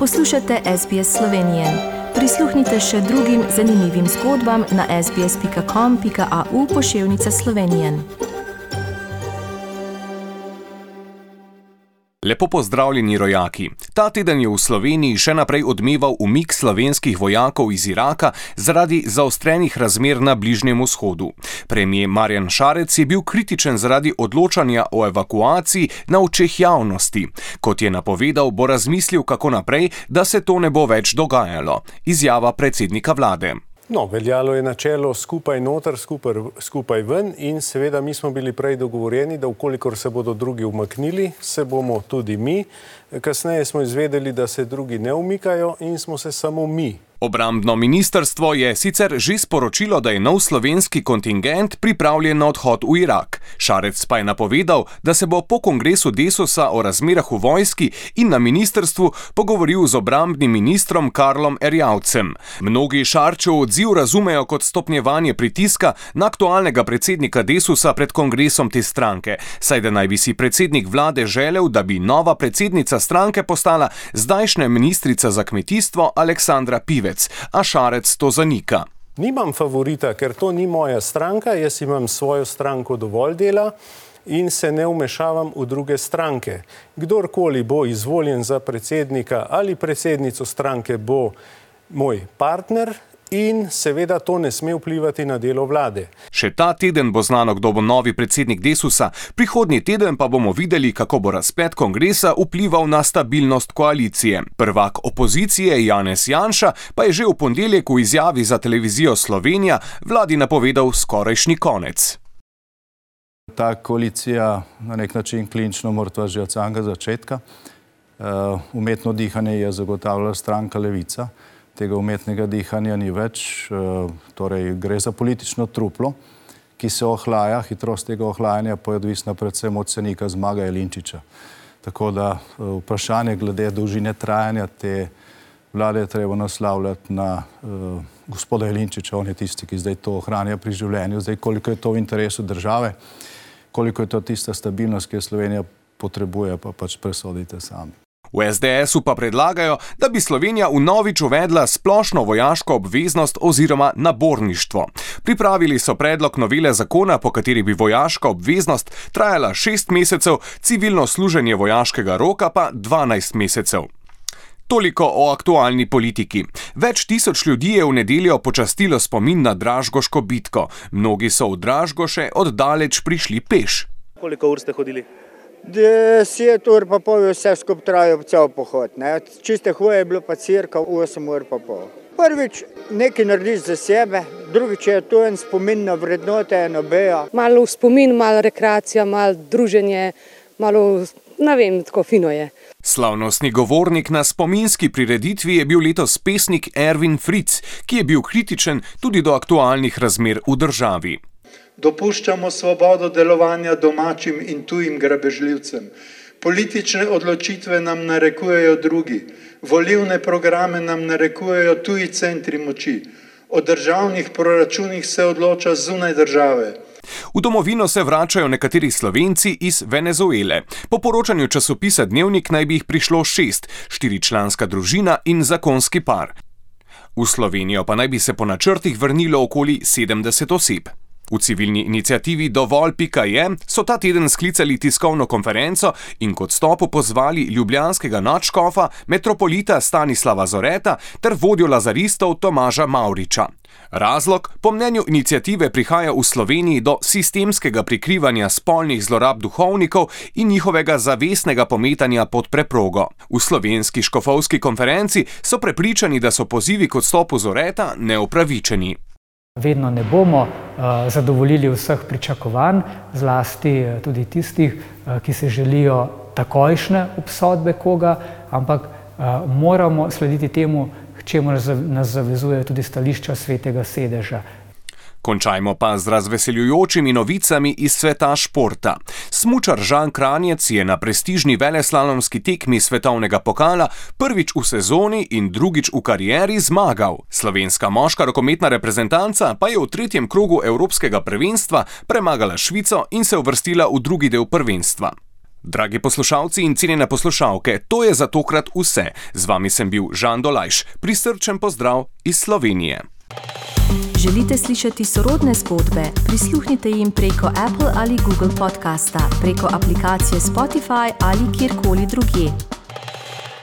Poslušate SBS Slovenije. Prisluhnite še drugim zanimivim zgodbam na sbs.com.au/Slovenije. Lepo pozdravljeni rojaki. Ta teden je v Sloveniji še naprej odmeval umik slovenskih vojakov iz Iraka zaradi zaostrenih razmer na Bližnjem vzhodu. Premier Marjan Šarec je bil kritičen zaradi odločanja o evakuaciji na očeh javnosti. Kot je napovedal, bo razmislil, kako naprej, da se to ne bo več dogajalo. Izjava predsednika vlade. Veljalo je načelo skupaj noter, skupaj ven in seveda mi smo bili prej dogovorjeni, da ukolikor se bodo drugi umaknili, se bomo tudi mi. Kasneje smo izvedeli, da se drugi ne umikajo in smo se samo mi. Obrambno ministrstvo je sicer že sporočilo, da je nov slovenski kontingent pripravljen na odhod v Irak. Šarec pa je napovedal, da se bo po kongresu Desusa o razmerah v vojski in na ministrstvu pogovoril z obrambnim ministrom Karlom Erjavcem. Mnogi Šarčev odziv razumejo kot stopnjevanje pritiska na aktualnega predsednika Desusa pred kongresom te stranke, saj da naj bi si predsednik vlade želel, da bi nova predsednica stranke postala zdajšnja ministrica za kmetijstvo Aleksandra Pivec. A Šarec to zanika. Nimam favorita, ker to ni moja stranka, jaz imam svojo stranko dovolj dela in se ne vmešavam v druge stranke. Kdorkoli bo izvoljen za predsednika ali predsednico stranke, bo moj partner in seveda to ne sme vplivati na delo vlade. Še ta teden bo znano, kdo bo novi predsednik Desusa, prihodnji teden pa bomo videli, kako bo razplet kongresa vplival na stabilnost koalicije. Prvak opozicije Janez Janša pa je že v ponedeljek v izjavi za televizijo Slovenija vladi napovedal skorajšnji konec. Ta koalicija na nek način klinično mrtva že od samega začetka. Umetno dihanje je zagotavljala stranka Levica. Tega umetnega dihanja ni več, torej gre za politično truplo, ki se ohlaja, hitrost tega ohlajanja pa je odvisna predvsem od cenika Zmaga Jelinčiča. Tako da vprašanje glede dolžine trajanja te vlade je treba naslavljati na gospoda Jelinčiča, on je tisti, ki zdaj to ohranja pri življenju. Zdaj, koliko je to v interesu države, koliko je to tista stabilnost, ki jo Slovenija potrebuje, pa pač presodite sami. V SDS-u pa predlagajo, da bi Slovenija vnovič uvedla splošno vojaško obveznost oziroma naborništvo. Pripravili so predlog novele zakona, po kateri bi vojaška obveznost trajala 6 mesecev, civilno služenje vojaškega roka pa 12 mesecev. Toliko o aktualni politiki. Več tisoč ljudi je v nedeljo počastilo spomin na Dražgoško bitko. Mnogi so v Dražgoše oddaleč prišli peš. Koliko ur ste hodili? 10 ur pa pol je vse skupaj trajal cel pohod. Čiste hoje je bilo pa cirka 8 ur pa pol. Prvič nekaj narediš za sebe, drugič je to en spomin na vrednote, eno bejo. Malo spomin, malo rekreacija, malo druženje, malo, ne vem, tako fino je. Slavnostni govornik na spominski prireditvi je bil letos pesnik Ervin Fritz, ki je bil kritičen tudi do aktualnih razmer v državi. Dopuščamo svobodo delovanja domačim in tujim grabežljivcem. Politične odločitve nam narekujejo drugi. Volilne programe nam narekujejo tuji centri moči. O državnih proračunih se odloča zunaj države. V domovino se vračajo nekateri Slovenci iz Venezuele. Po poročanju časopisa Dnevnik naj bi jih prišlo 6, 4-članska družina in zakonski par. V Slovenijo pa naj bi se po načrtih vrnilo okoli 70 oseb. V civilni iniciativi Dovolj.je so ta teden sklicali tiskovno konferenco in k odstopu pozvali ljubljanskega nadškofa, metropolita Stanislava Zoreta ter vodjo lazaristov Tomaža Mavriča. Razlog, po mnenju iniciative, prihaja v Sloveniji do sistemskega prikrivanja spolnih zlorab duhovnikov in njihovega zavestnega pometanja pod preprogo. V slovenski škofovski konferenci so prepričani, da so pozivi k odstopu Zoreta neupravičeni. Vedno ne bomo zadovoljili vseh pričakovanj, zlasti tudi tistih, ki se želijo takojšnje obsodbe koga, ampak moramo slediti temu, k čemu nas zavezuje tudi stališča Svetega sedeža. Končajmo pa z razveseljujočimi novicami iz sveta športa. Smučar Žan Kranjec je na prestižni veleslalomski tekmi svetovnega pokala prvič v sezoni in drugič v karieri zmagal. Slovenska moška rokometna reprezentanca pa je v 3. krogu evropskega prvenstva premagala Švico in se uvrstila v drugi del prvenstva. Dragi poslušalci in cenjene poslušalke, to je za tokrat vse. Z vami sem bil Žan Dolajš. Prisrčen pozdrav iz Slovenije. Želite slišati sorodne zgodbe? Prisluhnite jim preko Apple ali Google podcasta, preko aplikacije Spotify ali kjerkoli drugje.